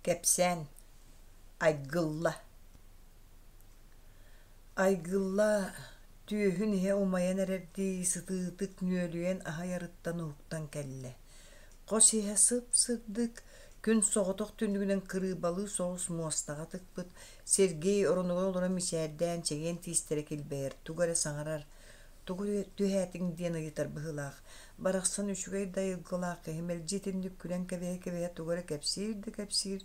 Кэпсээн Айгылла Айгылла түөһүн иһэ умайан эрэрдии сытыытык нүөлүйэн аһыйарыттан уһуктан кэллэ. Хос иһэ сып-сырдык, күн соҕотох түннүгүнэн кырыыбалыы соҕус муостаҕа тыкпыт, Сергей оронугар олорон мичээрдээн чэгиэн тиистэрэ килбэйэр, тугу эрэ саҥарар, тугу түһээтиҥ диэн ыйытар быһыылаах. Барахсан үчүгэй да айылгылаах киһи мэлдьи итинник күлэн кэбиһэ-кэбиһэ тугу эрэ кэпсиир да кэпсиир,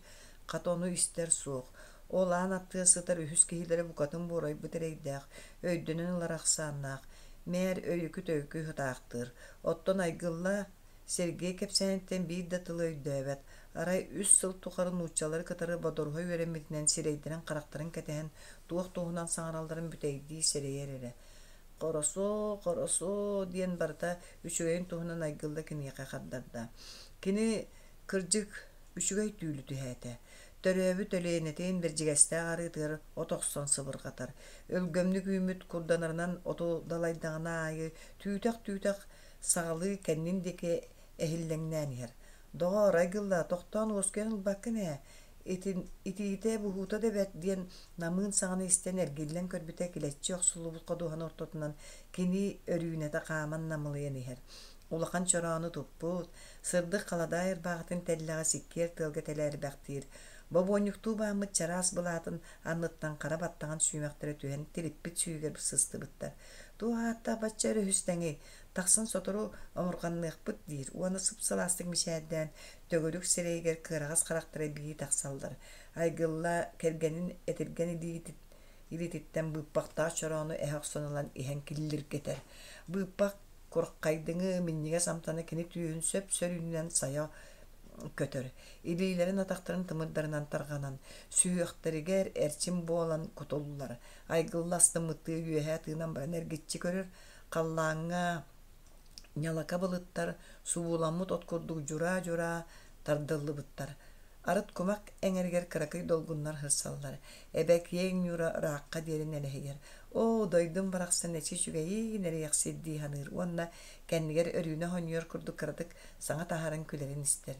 хата ону истэр суох. Ол аан аттыгар сытар үһүс киһилэрэ букатын буорайбыт эрэйдээх, өйдөнөн ылар ахсааннаах, мээр өйүкү-төйүкү сытаахтыыр. Оттон Айгылла Сергей кэпсээниттэн биир да тылы өйдөөбөт, арай үс сыл тухары нууччалары кытары бодоруһа үөрэммитинэн сирэйдэрин-харахтарын кэтэһэн туох туһунан саҥаралларын бүтэйдии сэрэйэр эрэ. «Хорошо, хорошо» диэн барыта үчүгэйин туһунан Айгылла киниэхэ хардарда. Кини, кырдьык, үчүгэй түүлү түһээтэ. Төрөөбүт Өлүөнэтин Бэрдьигэстээх арыытыгар от охсон сыбырҕатар. Өлгөмнүк үүммүт курданарынан оту далайдаҕына аайы түүтэх-түүтэх саҕалыы кэннин диэки эһиллэҥнээн иһэр. «Доҕоор, Айгылла, тохтоон уоскуйан ылбаккын ээ, итиитэ буһуута да бэрт» диэн намыын саҥаны истэн эргиллэн көрбүтэ килэччи охсуллубут ходуһаны ортотунан кини Өрүүнэтэ хааман намылыйан иһэр. Улахан чороону туппут, сырдык халадаай ырбаахытын тэллэҕэ сиккиэр тыалга тэлээрбэхтиир, бобуонньуктуу бааммыт чараас былаатын анныттан хара баттаҕын сүүмэхтэрэ түһэн тириппит сүүһүгэр сыстыбыттар. Туох ааттаах бачча өрүһүстэҥий, тахсан сотору омурҕанныахпыт диир уонна сып-сылаастык мичээрдээн төгүрүк сирэйигэр кыараҕас харахтара бии тахсаллар. Айгылла кэргэнин этиргэн илиититтэн быыппахтаах чороону эһэ охсон ылан иһэн киллиргэтэр. Быыппах курхайдыҥы минньигэс амтана кини түөһүн сөп-сөрүүнүнэн сайа көтөр. Илиилэрин атахтарын тымырдарынан тарҕанан, сүһүөхтэригэр эрчим буолан кутуллар. Айгылла астыммыттыы үөһэ тыынан баран эргиччи көрөр, халлааҥҥа ньалака былыттар субууламмыт от курдук дьураа-дьураа тардыллыбыттар. Арыт кумах эҥэригэр кыракый долгуннар сырсаллар. Эбэ киэҥ ньуура ыраахха диэри нэлэһийэр. Оо, дойдум барахсан эчи үчүгэйин эриэхсит дии саныыр уонна кэннигэр Өрүүнэ хонньуйар курдук кыратык саҥа таһааран күлэрин истэр.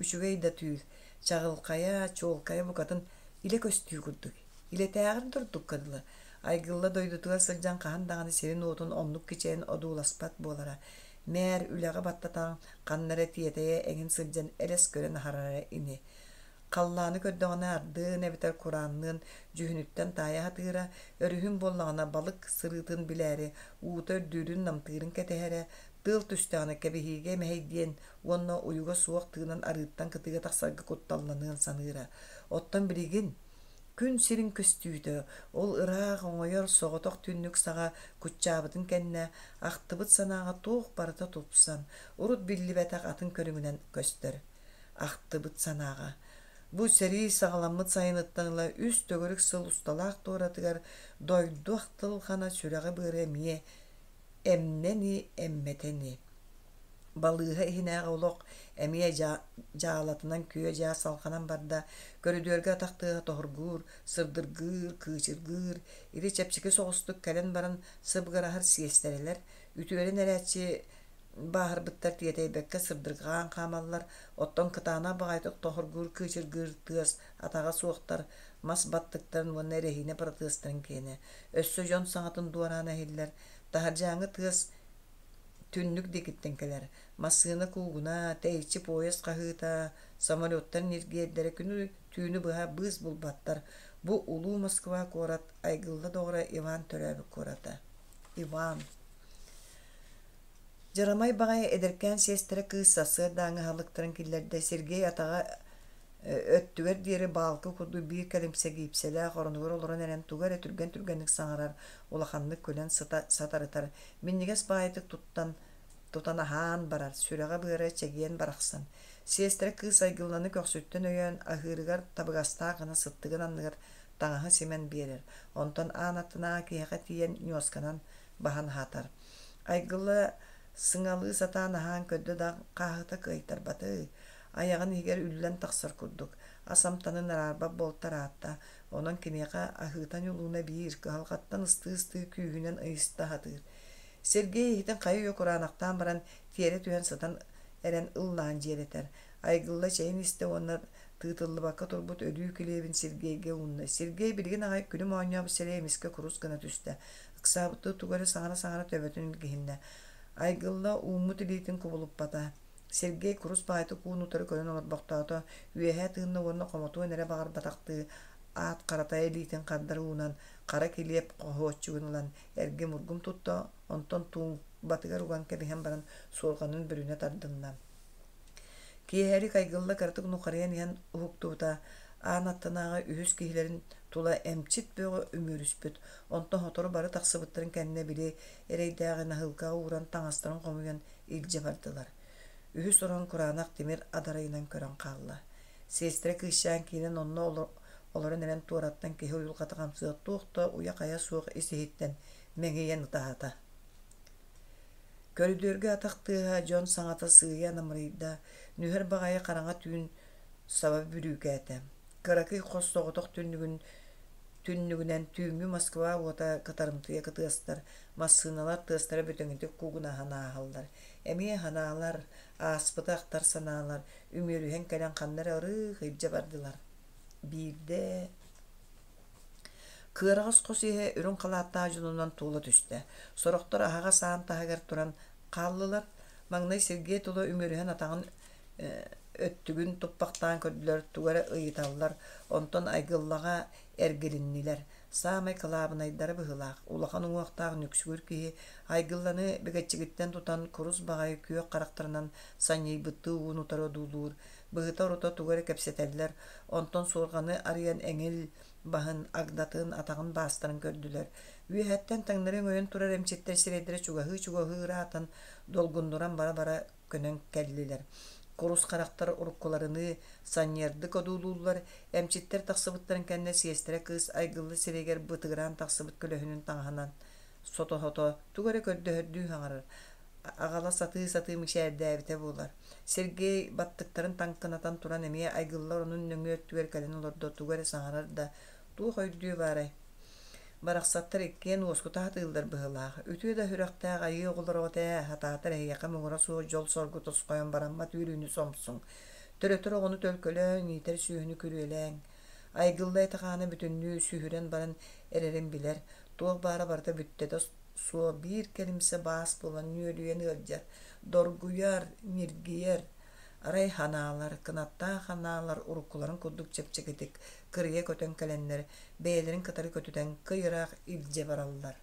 Үчүгэй да түүл, чаҕылхайа, чуолкайа букатын илэ көстүү курдук. Илэтээҕэр да ордукка дылы, Айгылла дойдутугар сылдьан хаһан даҕаны сирин-уотун оннук кичэйэн одууласпат буолара. Мээр үлэҕэ баттатан, ханна эрэ тиэтэйэ эҥин сылдьан элэс көрөн аһарара ини. Халлааны көрдөҕүнэ ардыын эбэтэр кураанныын дьүһүнүттэн таайа сатыыра, өрүһүн буоллаҕына балык сырыытын билээри уута үрдүүрүн-намтыырын кэтэһэрэ, тыал түстэҕинэ кэбиһиигэ мэһэйдиэн уонна уйуга суох тыынан арыыттан кытыыга тахсарга кутталланыан саныыра. Оттон билигин Күн сирин көстүүтэ, ол ыраах оҥойор соҕотох түннүк саҕа куччаабытын кэннэ, ахтыбыт санааҕа туох барыта тупсан, урут биллибэтэх атын көрүҥүнэн көстөр. Ахтыбыт санааҕа. Бу сэрии саҕаламмыт сайыныттан ыла үс төгүрүк сыл усталаах туоратыгар дойду ахтылҕана сүрэҕи-быары эмиэ эмнэни эммэтэни. Балыыһа иһинээҕи олох эмиэ дьаалатынан күө-дьаа салҕанан барда, көрүдүөргэ атах тыаһа тоһургуур, сырдыргыыр, кыычыргыыр, ити чэпчэки соҕустук кэлэн баран сыбыгыраһар сиэстэрэлэр, үтүөрэн эрээччи бааһырбыттар тиэтэйбэккэ сырдырҕаан хаамаллар, оттон кытаанах баҕайытык тоһургуур, кыычыргыыр тыас атаҕа суохтар, мас баттыктарын уонна эрэһиинэ протезтарын киэнэ. Өссө дьон саҥатын дуораана иһиллэр, таһырдьааҥҥы тыас Түннүк диэкиттэн кэлэр, массыына куугуна, тэйиччи поезд хаһыыта, самолеттар ньиргиэрдэрэ күнү-түүнү быһа быыс булбаттар. Бу улуу Москва куорат Айгылла доҕоро Иван төрөөбүт куората. Иван. Дьарамай баҕайы эдэркээн сиэстэрэ кыыс сарсыардааҥҥы аһылыктарын киллэрдэ. Сергей атаҕа өттүгэр диэри баалкы курдук биир кэлимсэ гиипсэлээх оронугар олорон эрэн тугу эрэ түргэн-түргэнник саҥарар, улаханнык күлэн сыта сатарытар, минньигэс баайытык туттан тутан аһаан барар, сүрэҕэ-быара чэгиэн барахсан. Сиэстэрэ кыыс Айгылланы көхсүттэн өйөөн, аһыырыгар табыгастаах гына сыттыгын анныгар таҥаһы симэн биэрэр, онтон аан аттынааҕы киһиэхэ тиийэн ньуосканан баһан аһатар. Айгылла сыҥалыы сатаан аһаан көрдө да хааһыта кыайтарбатый, айаҕын иһигэр үллэн тахсар курдук, ас амтанын араарбат буолтар аатта, онон киниэхэ аһыыта-ньулууна биир, кыһалҕаттан ыстыы-ыстыы күүһүнэн ыйыста сатыыр. Сергей иһитин хайа-үйэ кураанахтаан баран, тиэрэ түһэн сытан эрэн ыллаан дьиэрэтэр. Айгылла чэйин истэ уонна Тыытыллыбакка турбут өлүү килиэбин Сергейгэ уунна. Сергей билигин аҕай күлүм оонньообут сирэйэ эмискэ курус гына түстэ. Ыксаабыттыы тугу эрэ саҥара-саҥара төбөтүн илгиһиннэ. Айгылла ууммут илиитин кубулуппата. Сергей курус баҕайытык уун утары көрөн олорбохтоото, үөһэ тыынна уонна хомотуон эрэ баҕарбатахтыы аат харата илиитин хардары уунан, хара килиэп хоһуоччугун ылан эргим-ургум тутта, онтон туумбатыгар уган кэбиһэн баран суорҕанын бүрүнэ тардынна. Киэһэлик Айгылла кыратык нухарыйан иһэн уһуктубута, аан аттынааҕы үһүс киһилэрин тула эмчит бөҕө үмүөрүспүт, онтон сотору бары тахсыбыттарын кэннэ били эрэйдээҕи наһыылкаҕа ууран таҥастарын хомуйан илдьэ бардылар. Үһүс орон кураанах тимир адарайынан көрөн хаалла. Сиэстэрэ кыысчаан киирэн онно олорон эрэн туораттан киһи уйулҕата хамсыа туох да уйа-хайа суох ис-иһиттэн мэҥийэн ытаата. Көрүдүөргэ атах тыаһа, дьон саҥата сыыйа намырыйда, нүһэр баҕайы хараҥа түүн саба бүрүүкээтэ. Кыракый хос соҕотох түннүгүн түннүгүнэн түүҥҥү Москва уота кытарымтыйа кытыастар, массыыналар тыастара бүтэҥитик куугунаһан ааһаллар. Эмиэ ханаалар, ааспыты ахтар санаалар үмүөрүһэн кэлэн ханна эрэ ырыых илдьэ бардылар. Биирдэ Кыараҕас хос иһэ үрүҥ халааттаах дьонунан туола түстэ. Сорохтор аһаҕас аан таһыгар туран хааллылар. Маҥнай Сергей тула үмүөрүһэн атаҕын өттүгүн туппахтаан көрдүлэр, тугу эрэ ыйыталлар, онтон Айгыллаҕа эргилиннилэр. Саамай кылаабынайдара быһыылаах, улахан уҥуохтаах нүксүгүр киһи Айгылланы бэгэччигиттэн тутан курус баҕайы күөх харахтарынан санньыйбыттыы уун-утары одуулуур, быһыта-орута тугу эрэ кэпсэтэллэр, онтон суорҕаны арыйан эҥил баһын, агдатын, атаҕын баастарын көрдүлэр. Үөһэттэн таҥнары өҥөйөн турар эмчиттэр сирэйдэрэ чугаһыы-чугаһыы ыраатан, долгуннуран бара-бара көнөн кэллилэр. Курус харахтар уруккуларыныы санньыардык одуулууллар, эмчиттэр тахсыбыттарын кэннэ сиэстэрэ кыыс айгыллы сирэйигэр бытыгыраан тахсыбыт көлөһүнүн таҥаһынан сото-сото тугу эрэ көрдөһөрдүү саҥарар, аҕала сатыы-сатыы мичээрдээбитэ буолар. Сергей баттыктарын таҥкынатан туран эмиэ айгыллар онун нөҥүө өттүгэр кэлэн олордо тугу эрэ саҥарар да, туох өйдүө баарай Барахсаттар иккиэн уоскута сатыыллар быһыылаах. Үтүө да сүрэхтээх айыы оҕолороҕут ээ, сатаатар эһиэхэ муҥура суох дьол-соргу тосхойон бараммат үөрүүнү сомсуҥ. Төрөтөр оҕону төлкөлөөҥ, иитэр сүөһүнү күрүөлээҥ. Айгылла этэ-хаана бүтүннүү сүһүрэн баран эрэрин билэр, туох баара барыта бүттэтэ суох биир кэлимсэ баас буолан нүөлүйэн ыалдьар, доргуйар, ньиргийэр. Арай ханаалар, кынаттаах ханаалар уруккуларын курдук чэпчэкитик кырыйа көтөн кэлэннэр, бэйэлэрин кытары көтүтэн кый ыраах илдьэ бараллар.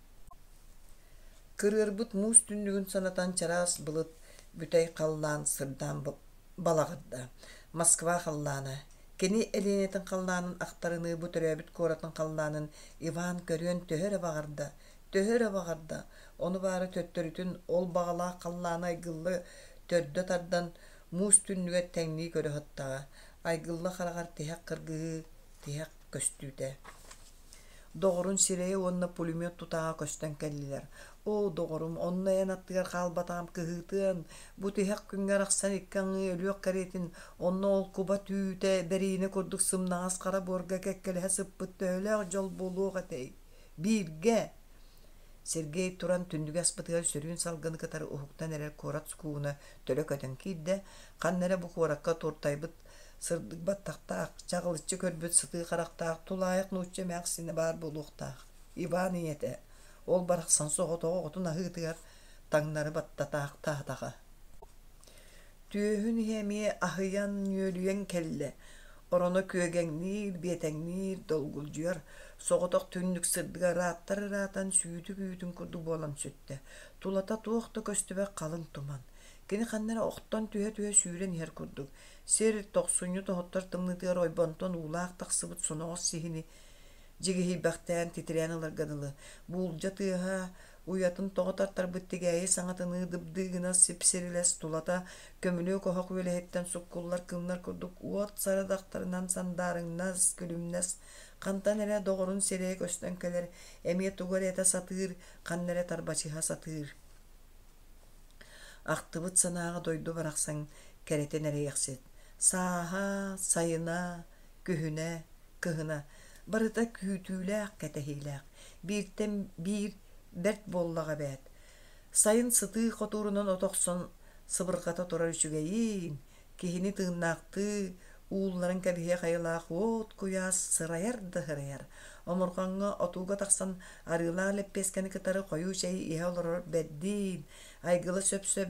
Кырыарбыт муус түннүгүн санатан чараас былыт бүтэй халлаан сырдаан балаҕырда. Москва халлаана. Кини Элиэнэтин халлаанын ахтарыныы бу төрөөбүт куоратын халлаанын Иван көрүөн төһө эрэ баҕарда, төһө эрэ баҕарда, ону баара төттөрүтүн ол баҕалаах халлааны Айгылла төрдө тардан муус түннүгэр тэҥнии көрө сыттаҕа. Айгылла хараҕар тиһэх кыргыһыы тиһэх көстүүтэ. Доҕорун сирэйэ уонна пулемет тутааҕа көстөн кэллилэр. Оо, доҕорум, онно эн аттыгар хаалбатаҕым кыһыытыан, бу тиһэх күҥҥэ арахсан икки аҥыы өлүөх кэриэтин, онно ол куба түүтэ бэриинэ курдук сымнаҕас хара буорга кэккэлэһэ сыппыт төһөлөөх дьол буолуох этэй? Бииргэ! Сергей туран түннүгү аспытыгар сөрүүн салгыны кытары уһуктан эрэр куорат сукууна төлө көтөн киирдэ, ханна эрэ бу куоракка туртайбыт сырдык баттахтаах, чаҕылыччы көрбүт сытыы харахтаах тулаайах нуучча эмээхсинэ баар буолуохтаах. Иван ийэтэ, ол барахсан соҕотох оҕотун аһыытыгар таҥнары баттатаахтаатаҕа. Түөһүн иһэ эмиэ аһыйан, нүөлүйэн кэллэ. Ороно күөгэҥниир, биэтэҥниир, долгулдьуйар, соҕотох түннүк сырдыга ырааттар ыраатан сүүтүк үүтүн курдук буолан сүттэ. Тулата туох да көстүбэт халыҥ туман. Кини ханна эрэ охтон түһэ-түһэ сүүрэн иһэр курдук. Сир тохсунньу тоһуттар тымныытыгар ойбонтон уулаах тахсыбыт соноҕос сиһини дьигиһийбэхтээн титирээн ыларга дылы. Буулдьа тыаһа уйатын тоҕо тартарбыт тигээйи саҥатыныы дыбдыы сип-сирилэс тулата көмүлүөк оһох үөлэһиттэн суккуллар кыымнар курдук уот сарадахтарынан сандаарыҥнас, күлүмнэс, хантан эрэ доҕорун сирэйэ көстөн кэлэр, эмиэ тугу эрэ этэ сатыыр, ханна эрэ тарбачыһа сатыыр. Ахтыбыт санааҕа дойду барахсан кэрэтин эрэйэхсит. Сааһа, сайына, күһүнэ, кыһына барыта күүтүүлээх, кэтэһиилээх. Бииртэн биир бэрт буоллаҕа эбээт. Сайын сытыы хотуурунан от охсон сыбырҕата турар үчүгэйиин, киһини тыыннаахтыы, Уулларан кэбиһиэх айылаах уот куйаас сырайар да сырайар. Омурҕаҥҥа отууга тахсан арыылаах лэппиэскэни кытары хойуу чэйи иһэ олорор бэрдиин, Айгыла сөп-сөп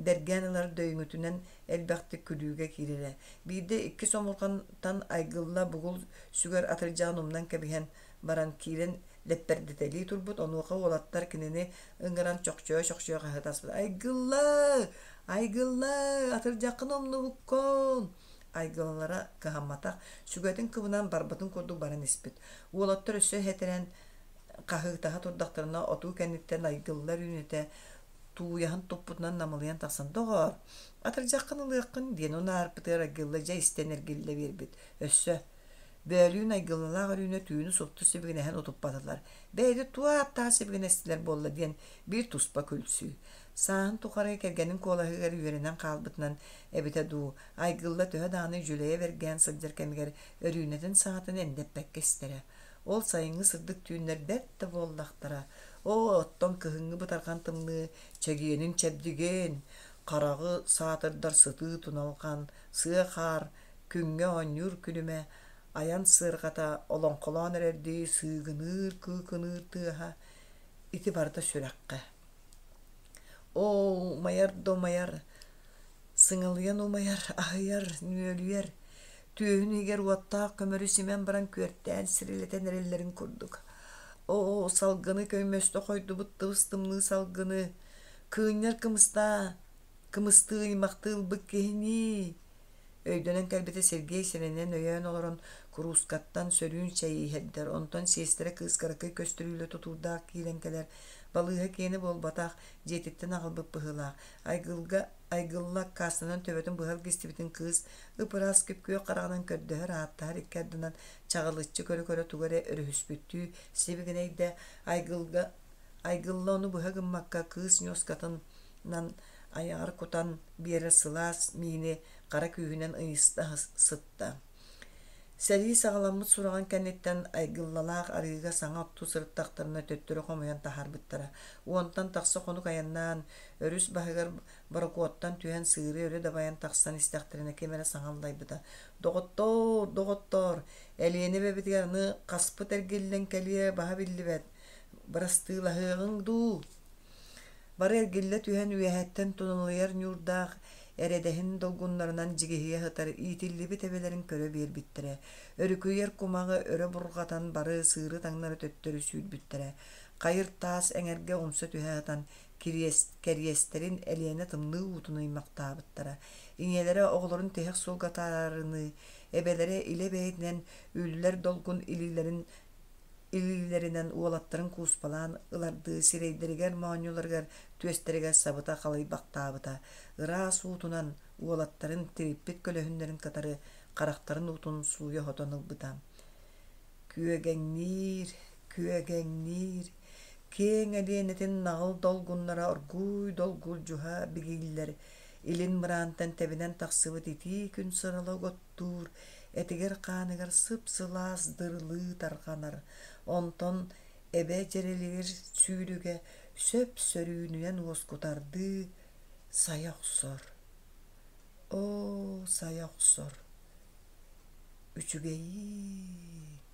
бэргээн ылар дөйүҥүтүнэн элбэхтик күлүүгэ киирэрэ. Биирдэ иккис омурҕантан Айгылла бугул сүгэр атырдьаҕын умнан кэбиһэн баран киирэн лэппэрдэтэлии турбут, онуоха уолаттар кинини ыҥыран чохчойо-чохчойо хаһыытаспыт: «Айгылла! Айгылла! Атырдьаххын умнубуккун!» Айгыллара кыһамматах, сүгэтин кыбынан барбытын курдук баран испит. Уолаттар өссө иһэтэрэн хаһыытаһа турдахтарына отуу кэнниттэн Айгылла Өрүүнэтэ тууйаһын туппутунан намылыйан тахсан «Доҕоор, атырдьаххын ылыаххын» диэн унаарпытыгар Айгылла дьэ истэн эргиллэ биэрбит. Өссө Бөөлүүн Айгыллалаах Өрүүнэ түүнү супту сибигинэһэн утуппатылар. Бэйэтэ туох ааттаах сибигинэстилэр буолла диэн биир туспа күлсүү. Сааһын тухары кэргэнин куолаһыгар үөрэнэн хаалбытынан эбитэ дуу, Айгылла төһө даҕаны дьүлэйэ бэргээн сылдьар кэмигэр Өрүүнэтин саҥатын эндэппэккэ истэрэ. Ол сайыҥҥы сырдык түүннэр бэрт да буоллахтара. Оо, оттон кыһыҥҥы бытарҕан тымныы чэгиэнин-чэбдигин, хараҕы саатырдар сытыы туналҕан, сыа хаар, күҥҥэ оонньуур күлүмэ, айан сыарҕата олоҥхолоон эрэрдии сыыгыныыр-кыыкыныыр тыаһа ити барыта сүрэххэ. Оо, умайар да умайар, сыҥалыйан умайар, аһыйар, нүөлүйэр, түөһүн иһигэр уоттаах көмөрү симэн баран күөртээн сирилэтэн эрэллэрин курдук. Оо, салгыны көймөстө хойдубут тыбыс-тымныы салгыны, кыынньар кымыстаа, кымыстыы ыймахтыы ылбыт киһинии Өйдөнөн кэлбитэ Сергей сэрэнэн өйөөн олорон куруускаттан сөрүүн чэйи иһэрдэр, онтон сиэстэрэ кыыс кыракый көстөрүүлэ тутуурдаах киирэн кэлэр, балыыһа киэнэ буолбатах, дьиэтиттэн аҕалбыт быһыылаах. Айгылга Айгылла аккаастанан төбөтүн быһа илгистибитин кыыс ып-ыраас күп-күөх хараҕынан көрдөһөр, ааттаһар икки ардынан чаҕылыччы көрө-көрө тугу эрэ өрүһүспүттүү сибигинэйдэ. Айгылга Айгылла ону быһа гыммакка кыыс ньуоскатынан айаҕар кутан биэрэр сылаас миини хара күүһүнэн ыйыста сытта. Сэрии саҕаламмыт сураҕын кэнниттэн Айгыллалаах арыыга саҥа оттуу сырыттахтарына төттөрү хомуйан таһаарбыттара. Уонтан тахса хонук айаннаан, өрүс баһыгар борокуоттан түһэн сыыры өрө дабайан тахсан истэхтэринэ ким эрэ саҥа аллайбыта: «Доҕоттоор, доҕоттоор, Элиэнэ эбэбитигэр аны хаспыт эргиллэн кэлиэ баһа биллибэт, бырастыылаһыаҕыҥ дуу?» Бары эргиллэ түһэн үөһэттэн туналыйар ньуурдаах эрэдэһин долгуннарынан дьигиһийэ сытар иитиллибит эбэлэрин көрө биэрбиттэрэ, өрүкүйэр кумаҕы өрө бурҕатан бары сыыры таҥнары төттөрү сүүрбүттэрэ, хайыр таас эҥэргэ умса түһэ сытан кэриэстэрин Элиэнэ тымныы уутун ыймахтаабыттара. Ийэлэрэ оҕолорун тиһэх суолга атаарарыныы, эбэлэрэ илэ бэйэтинэн үллэр долгун илиилэрин илиилэринэн уолаттарын кууспалаан ылардыы сирэйдэригэр, моонньуларыгар, түөстэригэр сабыта халыйбахтаабыта, ыраас уутунан уолаттарын тириппит көлөһүннэрин кытары харахтарын уутун сууйа сотон ылбыта. Күөгэҥниир, күөгэҥниир, киэҥ Элиэнэтин наҕыл долгуннара оргууй долгулдьуһа бигииллэр, илин мыраантан тэбинэн тахсыбыт итии күн сырала угуттуур, этигэр-хааныгар сып-сылаас дырылыы тарҕанар, онтон эбэ дьэрэлигэр сүүрүгэ сөп-сөрүүнүнэн уоскутардыы сайа охсор. Оо, сайа охсор, үчүгэйиин!